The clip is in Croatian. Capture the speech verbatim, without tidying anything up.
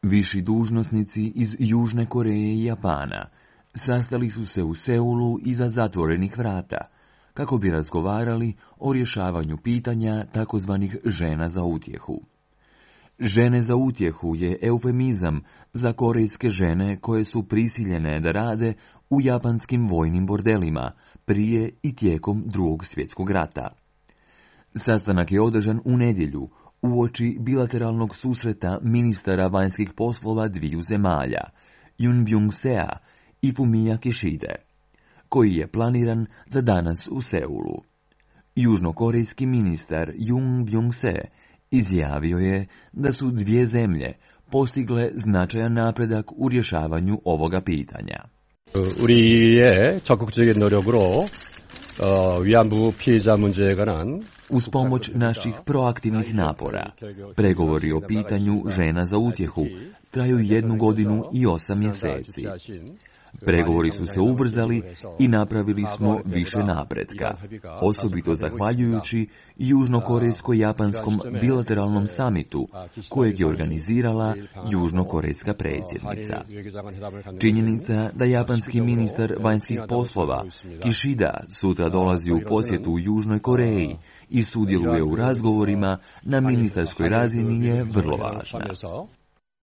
Viši dužnosnici iz Južne Koreje i Japana sastali su se u Seulu iza zatvorenih vrata, kako bi razgovarali o rješavanju pitanja takozvanih žena za utjehu. Žene za utjehu je eufemizam za korejske žene koje su prisiljene da rade u japanskim vojnim bordelima prije i tijekom Drugog svjetskog rata. Sastanak je održan u nedjelju, uoči bilateralnog susreta ministara vanjskih poslova dviju zemalja, Jun Byung-sea i Fumia Kishide, koji je planiran za danas u Seulu. Južnokorejski ministar Jun Byung-se izjavio je da su dvije zemlje postigle značajan napredak u rješavanju ovoga pitanja. 우리의 적극적인 노력으로 위안부 피해자 문제에 관한 Uz pomoć naših proaktivnih napora, pregovori o pitanju žena za utjehu traju jednu godinu i osam mjeseci. Pregovori su se ubrzali i napravili smo više napretka, osobito zahvaljujući južnokorejsko-japanskom bilateralnom samitu kojeg je organizirala južnokorejska predsjednica. Činjenica da japanski ministar vanjskih poslova Kishida sutra dolazi u posjetu u Južnoj Koreji i sudjeluje u razgovorima na ministarskoj razini je vrlo važna.